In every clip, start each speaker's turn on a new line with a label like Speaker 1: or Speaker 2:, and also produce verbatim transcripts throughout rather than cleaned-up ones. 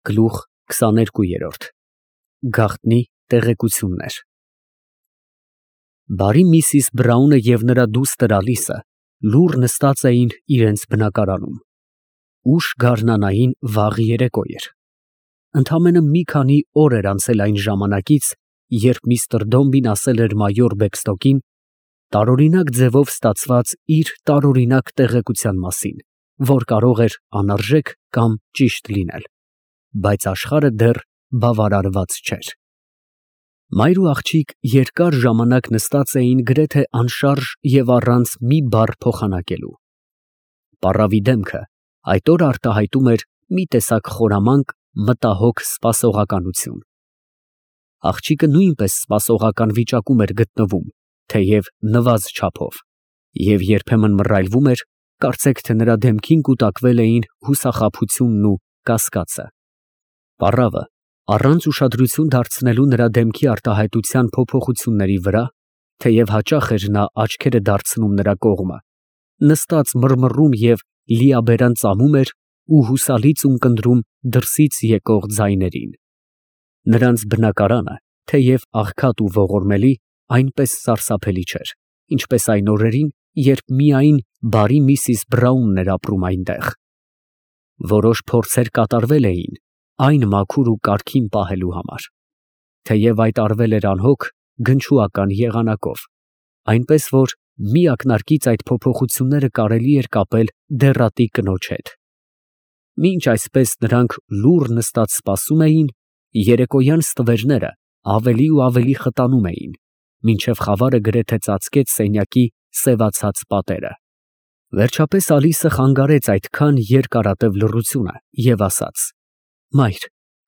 Speaker 1: Գլուխ քսաներկու։ Գաղտնի տեղեկություններ։ Բարի միսիս Բրաունը և նրա դուստր Ալիսը լուռ նստած էին իրենց բնակարանում։ Ուշ գարնանային վաղ երեկո էր։ Ընդամենը մի քանի օր էր անցել այն ժամանակից, երբ միստր Դոմբին ասել էր մայոր Բեքստոկին տարօրինակ ձևով ստացված իր տարօրինակ տեղեկության մասին, որ կարող էր անարժեք կամ ճիշտ լինել, բայց աշխարհը դեռ բավարարված չէր։ Մայր ու աղջիկ երկար ժամանակ նստած էին գրեթե անշարժ և առանց մի բառ փոխանակելու։ Պառավի դեմքը այդ օրը արտահայտում էր մի տեսակ խորամանկ, մտահոգ սպասողականություն։ Աղջիկը նույնպես սպասողական վիճակում էր գտնվում, թեև նվազ չափով, և երբեմն մռայլվում էր, կարծեք թե նրա դեմքին կուտակվել էին հուսախաբությունն ու կասկածը։ Պառավը, առանց ուշադրություն դարձնելու նրա դեմքի արտահայտության փոփոխությունների վրա, թեև հաճախ էր նա աչքերը դարձնում նրա կողմը, նստած մռմռում և լիաբերան ծամում էր ու հուսալից ունկնդրում դրսից եկող ձայներին։ Նրանց բնակարանը, թեև աղքատ ու ողորմելի, այնպես սարսափելի չէր, ինչպես այն օրերին, երբ միայն բարի միսիս Բրաունն էր ապրում այնտեղ։ Որոշ փորձեր կատարվել էին այն մաքուր ու կարգին պահելու համար, թեև այդ արվել էր անհոգ, գնչուական եղանակով, այնպես որ մի ակնարկից այդ փոփոխությունները կարելի էր կապել դեռատի կնոջ հետ։ Մինչ այսպես նրանք լուռ նստած սպասում էին, երեկոյան ստվերները ավելի ու ավելի խտանում էին, մինչև խավարը գրեթե ծածկեց սենյակի սևացած պատերը։ Վերջապես Ալիսը խանգարեց այդքան երկարատև լռությունը և ասաց. «Մայր,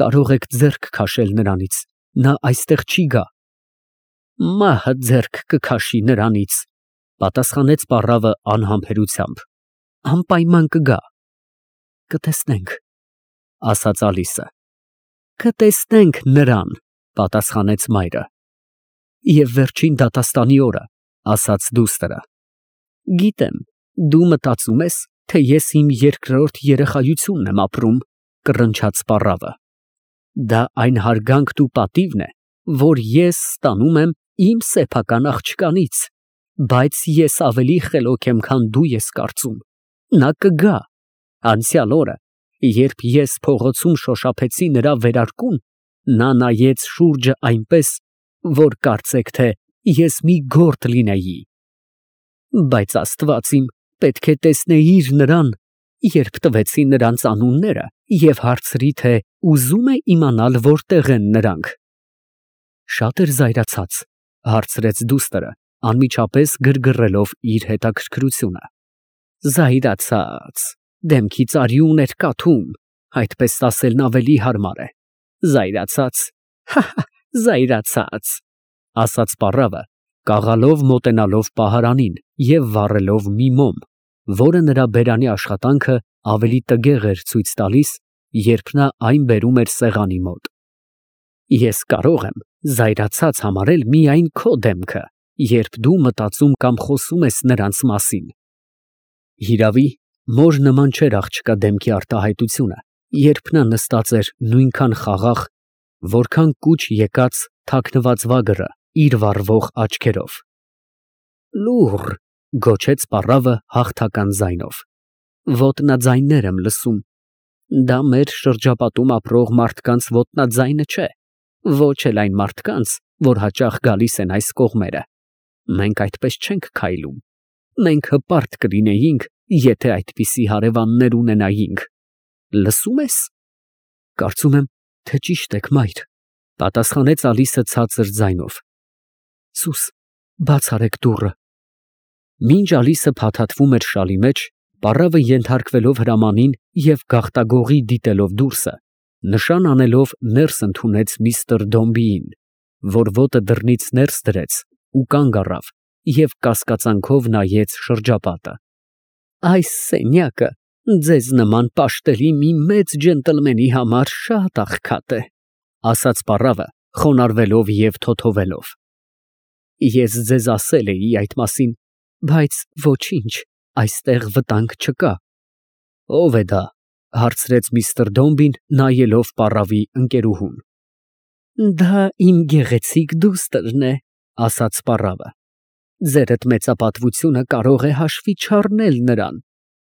Speaker 1: կարող եք ձեռք քաշել նրանից, նա այստեղ չի գա»։ «Մահը ձեռք կքաշի նրանից», ֊ պատասխանեց պառավը անհամբերությամբ, ֊ անպայման կգա։ «Կտեսնենք», ֊ ասաց Ալիսը։ «Կտեսնենք նրան», ֊ պատասխանեց մայրը։ «Եվ վերջին դատաստանի օրը», ֊ ասաց դուստրը։ «Գիտեմ, դու մտածում ես, թե ես իմ երկրորդ երեխայությունն եմ ապրում», ֊ կռնչաց պառավը։ «Դա այն հարգանքն ու պատիվն է, որ ես ստանում եմ իմ սեփական աղջկանից, բայց ես ավելի խելոք եմ, քան դու ես կարծում։ Նա կգա։ Անցյալ օրը, երբ ես փողոցում շոշափեցի նրա վերարկուն, նա նայեց շուրջը այնպես, որ կարծեք թե ես մի գորտ լինեի։ Բայց Աստված իմ, պետք է տեսնեիր նրան, երբ տվեցի նրանց անունները և հարցրի, թե ուզում է իմանալ որտեղ են նրանք»։ «Շատ էր զայրացած», ֊ հարցրեց դուստրը, անմիջապես գրգռելով իր հետաքրքրությունը։ «Զայրացած, դեմքից արյուն էր կաթում, այդպես ասելն ավելի հարմար է։ Զայրացած, հա՛֊հա՛, զայրացած», ֊ ասաց պառավը, կաղալով մոտենալով պահարանին և վառելով մի մոմ, որը նրա բերանի աշխատանքը ավելի տգեղ էր ցույց տալիս, երբ նա այն բերում էր սեղանի մոտ։ «Ես կարող եմ զայրացած համարել միայն քո դեմքը, երբ դու մտածում կամ խոսում ես նրանց մասին»։ Հիրավի, մոր նման չէր աղջկա դեմքի արտահայտությունը, երբ նա նստած էր նույնքան խաղաղ, որքան կուչ եկած թաքնված վագրը իր վառվող աչքերով։ «Լուռ», ֊ գոչեց պառավը հաղթական ձայնով, ֊ ոտնաձայններ եմ լսում։ Դա մեր շրջապատում ապրող մարդկանց ոտնաձայնը չէ, ոչ էլ այն մարդկանց, որ հաճախ գալիս են այս կողմերը։ Մենք այդպես չենք քայլում։ Մենք հպարտ կլինեինք, եթե այդպիսի հարևաններ ունենայինք։ Լսո՞ւմ ես։ «Կարծում եմ, թե ճիշտ եք, մայր», ֊ պատասխանեց Ալիսը ցածր ձայնով։ «Սուս, բաց արեք դուռը»։ Մինչ Ալիսը փաթաթվում էր շալի մեջ, պառավը ենթարկվելով հրամանին և գաղտագողի դիտելով դուրսը, նշան անելով ներս ընդունեց միստր Դոմբիին, որ ոտը դռնից ներս դրեց ու կանգ առավ և կասկածանքով նայեց շրջապատը։ «Այս սենյակը ձեզ նման պաշտելի մի մեծ ջենտլմենի համար շատ աղքատ է», ֊ ասաց պառավը, խոնարհվելով և թոթովելով։ «Ես ձեզ ասել էի այդ մասին, բայց ոչինչ, այստեղ վտանգ չկա»։ «Ո՞վ է դա», Հարցրեց միստր Դոմբին, նայելով պառավի ընկերուհուն։ Դա իմ գեղեցիկ դուստրն է, ասաց պառավը։ Ձերդ մեծապատվությունը կարող է հաշվի չառնել նրան,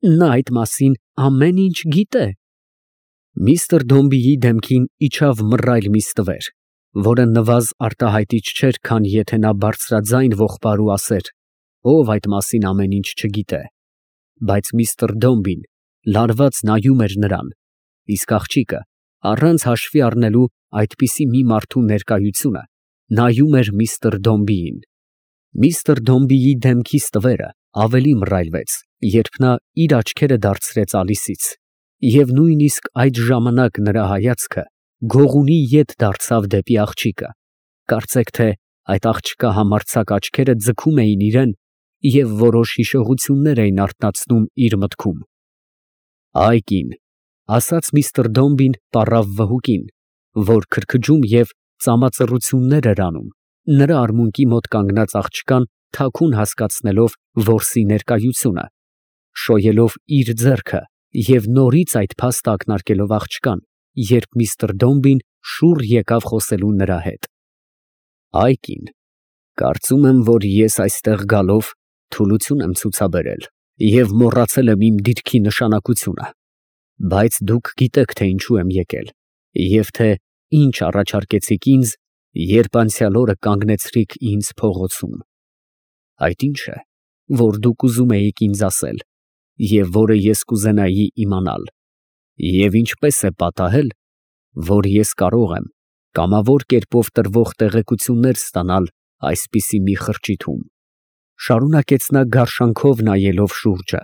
Speaker 1: նա այդ մասին ամեն ինչ գիտե։ Միստր Դոմբիի դեմքին իջավ մռայլ մի ստվեր, որը նվազ արտահայտիչ չէր, քան եթե նա բարձրաձայն ողբար ու ասեր, ով այդ մասին ամեն ինչ չգիտե, բայց միստր Դոմբին լարված նայում էր նրան, իսկ աղջիկը, առանց հաշվի առնելու այդպիսի մի մարդու ներկայությունը, նայում էր միստր Դոմբիին։ Միստր Դոմբիի դեմքի ստվերը ավելի մռայլվեց, երբ նա իր աչքերը դարձրեց Ալիսից, և նույնիսկ այդ ժամանակ նրա հայացքը գողունի ետ դարձավ դեպի աղջիկը, կարծեք թե այդ աղջկա համարձակ աչքերը ձգում էին իրան և որոշ հիշողություններ էին արթնացնում իր մտքում։ Այ կին, ասաց միստր Դոմբին պառավ վհուկին, որ քրքջում և ծամածռություններ էր անում, նրա արմունկի մոտ կանգնած աղջկան թաքուն հասկացնելով որսի ներկայությունը, շոյելով իր ձեռքը և նորից այդ փաստը ակնարկելով աղջկան, երբ միստր Դոմբին շուռ եկավ խոսելու նրա հետ։ Այ կին, կարծում եմ, որ ես այստեղ գալով թուլություն եմ ցուցաբերել և մոռացել եմ իմ դիրքի նշանակությունը, բայց դուք գիտեք, թե ինչու եմ եկել և թե ինչ առաջարկեցիք ինձ, երբ անցյալ օրը կանգնեցրիք ինձ փողոցում։ Այդ ինչ է, որ դուք ուզում էիք ինձ ասել և որը ես կուզենայի իմանալ, և ինչպես է պատահել, որ ես կարող եմ կամավոր կերպով տրվող տեղեկություններ ստանալ այսպիսի մի խրճիթում, շարունակեց նա գարշանքով նայելով շուրջը։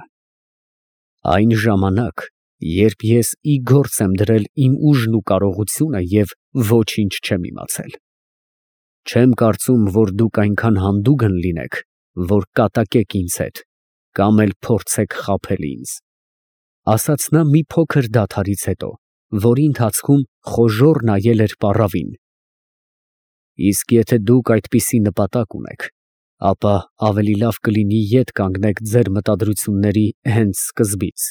Speaker 1: Այն ժամանակ, երբ ես ի գործ եմ դրել իմ ուժն ու կարողությունը և ոչինչ չեմ իմացել։ Չեմ կարծում, որ դուք այնքան հանդուգն լինեք, որ կատակեք ինձ հետ կամ էլ փորձեք խաբել ինձ, ասաց նա մի փոքր դադարից հետո, որի ընթացքում խոժոռ նայել էր պառավին։ Իսկ եթե դուք այդպիսի նպատակ ունեք, ապա ավելի լավ կլինի ետ կանգնեք ձեր մտադրությունների հենց սկզբից։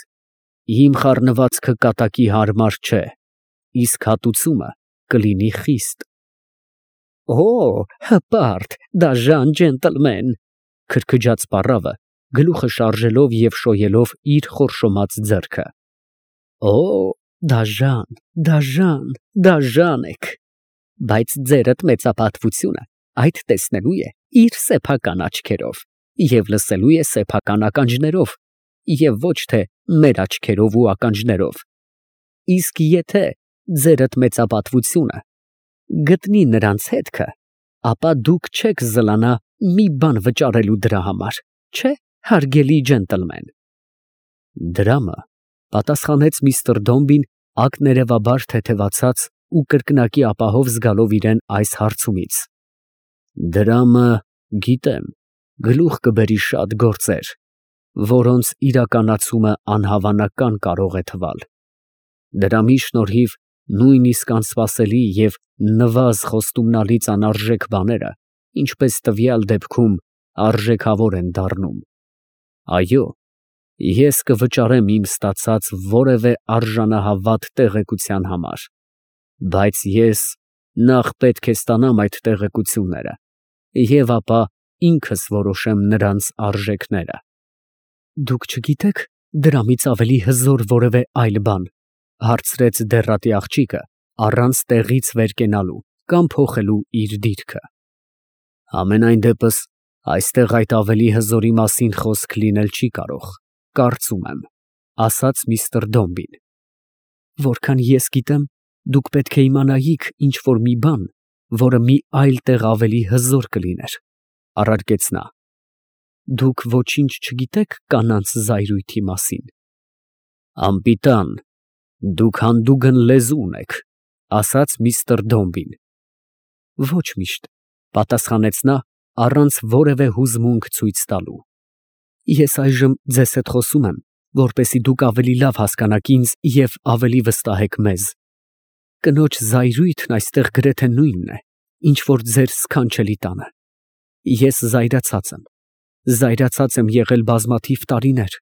Speaker 1: Իմ խառնվածքը կատակի հարմար չէ, իսկ հատուցումը կլինի խիստ։ Օ, հպարտ, դաժան ջենտլմեն, քրքջաց պառավը, գլուխը շարժելով և շոյելով իր խորշոմած ձեռքը։ Օ, դաժան, դաժան, դաժան եք, բայց ձերդ մեծապատվությունը այդ տեսնելու է իր սեփական աչքերով և լսելու է սեփական ականջներով և ոչ թե մեր աչքերով ու ականջներով, իսկ եթե ձերդ մեծապատվությունը գտնի նրանց հետքը, ապա դուք չեք զլանա մի բան վճարելու դրա համար, չէ՞, հարգելի ջենտլմեն։ Դրամը, պատասխանեց միստր Դոմբին ակներևաբար թեթևացած ու կրկնակի ապահով զգալով իրան այս հարցումից։ Դրամը, գիտեմ, գլուխ կբերի շատ գործեր, որոնց իրականացումը անհավանական կարող է թվալ։ Դրամի շնորհիվ նույնիսկ անսպասելի և նվազ խոստումնալից անարժեք բաները, ինչպես տվյալ դեպքում, արժեքավոր են դառնում։ Այո, ես կվճարեմ իմ ստացած որևէ արժանահավատ տեղեկության համար, բայց ես նախ պետք է ստանամ այդ տեղեկությունները և ապա ինքս որոշեմ նրանց արժեքները։ Դուք չգիտեք դրամից ավելի հզոր որևէ այլ բան, հարցրեց դեռատի աղջիկը, առանց տեղից վեր կենալու կամ փոխելու իր դիրքը։ Համենայն դեպս այստեղ այդ ավելի հզորի մասին խոսք լինել չի կարող, կարծում եմ, ասաց միստր Դոմբին։ Որքան ես գիտեմ, դուք պետք է իմանայիք ինչ֊որ մի բան, որը մի այլ տեղ ավելի հզոր կլիներ, առարկեց նա։ Դուք ոչինչ չգիտեք կանանց զայրույթի մասին։ Անպիտան, դուք հանդուգն լեզու ունեք, ասաց միստր Դոմբին։ Ոչ միշտ, պատասխանեց նա, առանց որևէ հուզմունք ցույց տալու։ Ես այժմ ձեզ հետ խոսում եմ, որպեսզի դուք ավելի լավ հասկանաք ինձ և ավելի վստահեք մեզ։ Կնոջ զայրույթն այստեղ գրեթե նույնն է, ինչ որ ձեր սքանչելի տանը։ Ես զայրացած եմ, զայրացած եմ եղել բազմաթիվ տարիներ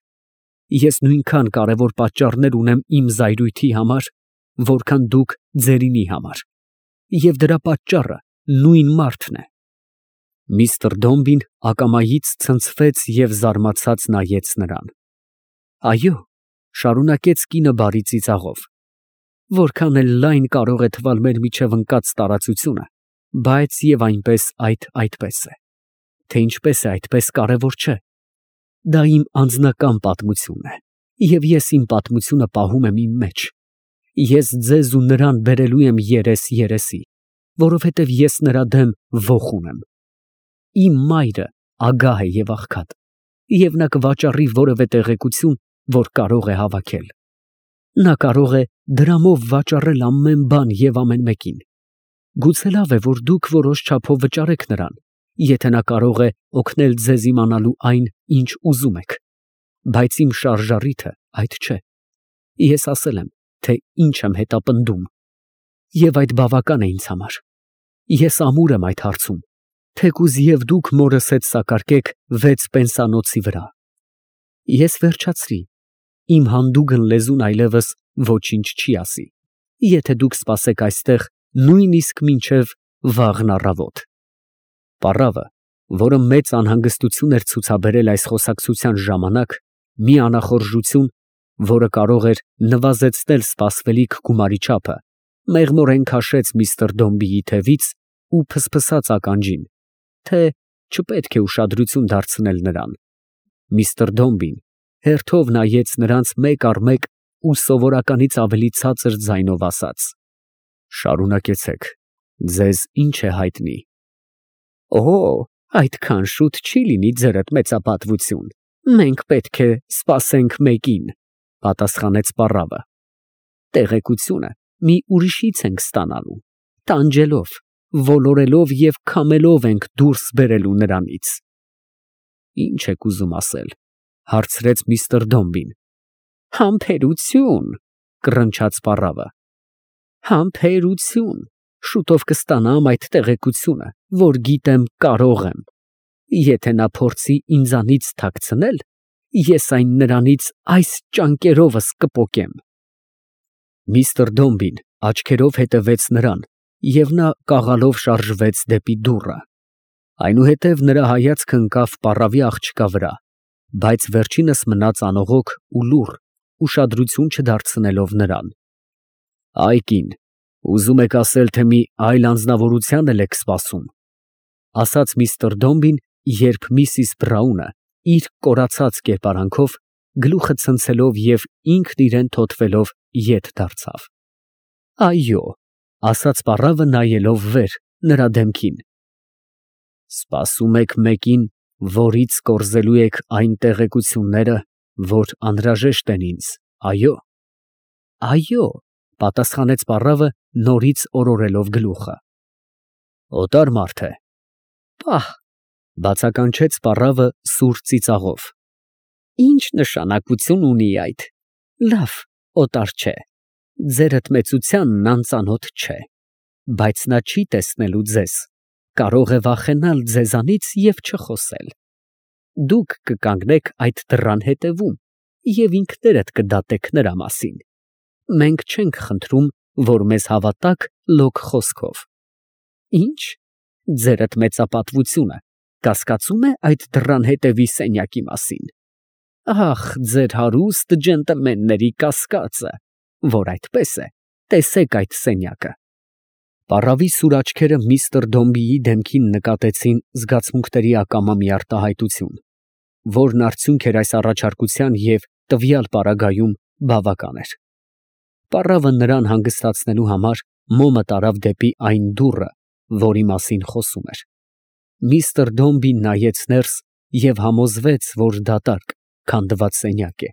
Speaker 1: Ես նույնքան կարևոր պատճառներ ունեմ իմ զայրույթի համար, որքան դուք ձերինի համար, և դրա պատճառը նույն մարդն է։ Միստր Դոմբին ակամայից ցնցվեց և զարմացած նայեց նրան։ Այո, շարունակեց կինը բարի ծիծաղով, որքան էլ լայն կարող է թվալ մեր միջև ընկած տարածությունը, բայց և այնպես այդ այդպես է, թե ինչպես է այդպես կարևոր չէ։ Դա իմ անձնական պատմությունն է, և ես իմ պատմությունը պահում եմ իմ մեջ։ Ես ձեզ ու նրան բերելու եմ երես֊երեսի, որովհետև ես նրա դեմ ոխ ունեմ։ Իմ մայրը ագահ է և աղքատ, և նա կվաճառի որևէ տեղեկություն, որ կարող է հավաքել։ Նա կարող է դրամով վաճառել ամեն բան և ամեն մեկին։ Գուցե լավ է, որ դուք որոշ չափով վճարեք նրան, եթե նա կարող է օգնել ձեզ իմանալու այն, ինչ ուզում եք, բայց իմ շարժառիթը այդ չէ։ Ես ասել եմ, թե ինչ եմ հետապնդում, և այդ բավական է ինձ համար։ Ես ամուր եմ այդ հարցում, թեկուզ և դուք մորս հետ սակարկեք վեց պենսանոցի վրա։ Ես վերջացրի, իմ հանդուգն լեզուն այլևս ոչինչ չի ասի, եթե դուք սպասեք այստեղ նույնիսկ մինչև վաղն առավոտ։ Պառավը, որը մեծ անհանգստություն էր ցուցաբերել այս խոսակցության ժամանակ, մի անախորժություն, որը կարող էր նվազեցնել սպասվելիք գումարի չափը, մեղմորեն քաշեց միստր Դոմբիի թևից ու փսփսաց ականջին, թե չպետք է ուշադրություն դարձնել նրան։ Միստր Դոմբին հերթով նայեց նրանց մեկ առ մեկ ու սովորականից ավելի ցածր ձայնով ասաց. Շարունակեցեք, ձեզ ինչ է հայտնի։ Օ, այդքան շուտ չի լինի ձերդ մեծապատվություն, մենք պետք է սպասենք մեկին, պատասխանեց պառավը։ Տեղեկությունը մի ուրիշից ենք ստանալու, տանջելով, ոլորելով և քամելով ենք դուրս բերելու նրանից։ Ինչ եք ուզում ասել, հարցրեց միստր Դոմբին։ Համբերություն, կռնչաց պառավը։ Համբերություն, շուտով կստանամ այդ տեղեկությունը, որ գիտեմ կարող եմ։ Եթե նա փորձի ինձանից թաքցնել, ես այն նրանից այս ճանկերովս կպոկեմ։ Միստր Դոմբին աչքերով հետևեց նրան, և նա կաղալով շարժվեց դեպի դուռը։ Այնուհետև նրա հայացքը ընկավ պառավի աղջկա վրա, բայց վերջինս մնաց անողոք ու լուռ, ուշադրություն չդարձնելով նրան։ Այ կին, ուզում եք ասել, թե մի այլ անձնավորության էլ եք սպասում, ասաց միստր Դոմբին, երբ միսիս Բրաունը իր կորացած կերպարանքով, գլուխը ցնցելով և ինքն իրան թոթվելով ետ դարձավ։ Այո, ասաց պառավը նայելով վեր, նրա դեմքին։ Սպասում եք մեկին, որից կորզելու եք այն տեղեկությունները, որ անհրաժեշտ են ինձ, այո։ Այո, պատասխանեց պառավը, նորից օրորելով գլուխը։ Օտար մարդ է։ Պահ, բացականչեց պառավը սուր ծիծաղով։ Ինչ նշանակություն ունի այդ։ Լավ, օտար չէ։ Ձերդ մեծությանն անծանոթ չէ, բայց նա չի տեսնելու ձեզ, կարող է վախենալ ձեզանից և չխոսել։ Դուք կկանգնեք այդ դռան հետևում և ինքներդ կդատեք նրա մասին։ Մենք չենք խնդրում, որ մեզ հավատաք լոկ խոսքով։ Ինչ, ձերդ մեծապատվությունը կասկածում է այդ դռան հետևի սենյակի մասին։ Ախ, ձեր հարուստ ջենտլմենների կասկածը, որ այդպես է, տեսեք այդ սենյակը։ Պառավի սուր աչքերը միստր Դոմբիի դեմքին նկատեցին զգացմունքների ակամա մի արտահայտություն, որն արդյունք էր այս առաջարկության և տվյալ պարագայում բավական էր։ Պառավը նրան հանգստացնելու համար մոմը տարավ դեպի այն դուռը, որի մասին խոսում էր։ Միստր Դոմբին նայեց ներս և համոզվեց, որ դատարկ, քանդված սենյակ է,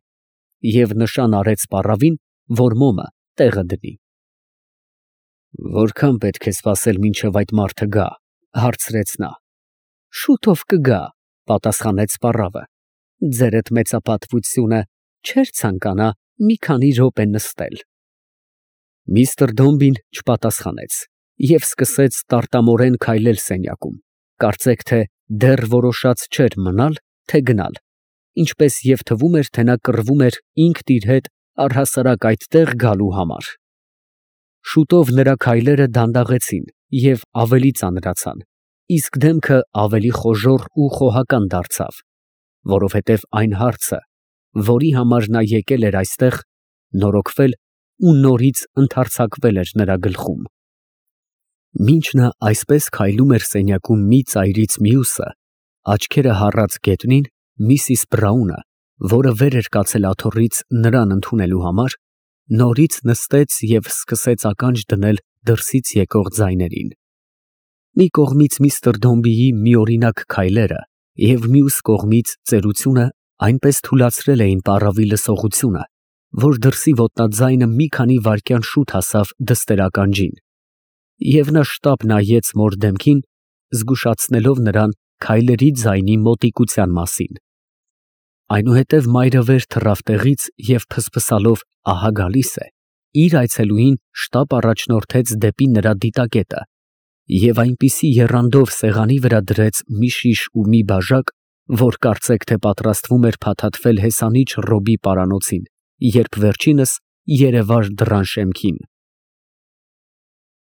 Speaker 1: և նշան արեց պառավին, որ մոմը տեղը դնի։ Որքան պետք է սպասել, մինչև այդ մարդը գա, հարցրեց նա։ Շուտով կգա, պատասխանեց պառավը։ Ձերդ մեծապատվությունը չէր ցանկանա մի քանի րոպե նստել։ Միստր Դոմբին չպատասխանեց և սկսեց տարտամորեն քայլել սենյակում, կարծեք թե դեռ որոշած չէր մնալ, թե գնալ։ ինչպես և թվում էր, թե նա կռվում էր ինքն իր հետ առհասարակ այդտեղ գալու համար։ Շուտով նրա քայլերը դանդաղեցին և ավելի ծանրացան, իսկ դեմքը ավելի խոժոռ ու խոհական դարձավ, որովհետև այն հարցը, որի համար նա եկել էր այստեղ, նորոգվել ու նորից ընդարձակվել էր նրա գլխում։ Մինչ նա այսպես քայլում էր սենյակում մի ծայրից մյուսը, աչքերը հառած գետնին, միսիս Բրաունը, որը վեր էր կացել աթոռից նրան ընդունելու համար, նորից նստեց և սկսեց ականջ դնել դրսից եկող ձայներին։ Մի կողմից միստր Դոմբիի միօրինակ քայլերը և մյուս կողմից ծերությունը այնպես թուլացրել էին պառավի լսողությունը, որ դրսի ոտնաձայնը մի քանի վայրկյան շուտ հասավ դստեր֊ականջին, և նա շտապ նայեց մոր դեմքին, զգուշացնելով նրան քայլերի ձայնի մոտիկության մասին։ Այնուհետև մայրը վեր թռավ տեղից և փսփսալով «ահա գալիս է» իր այցելուին շտապ առաջնորդեց դեպի նրա դիտակետը և այնպիսի եռանդով սեղանի վրա դրեց մի շիշ ու մի բաժակ, որ կարծեք թե պատրաստվում էր փաթաթվել հեսանիչ Ռոբի պարանոցին, երբ վերջինս երևար դռան շեմքին։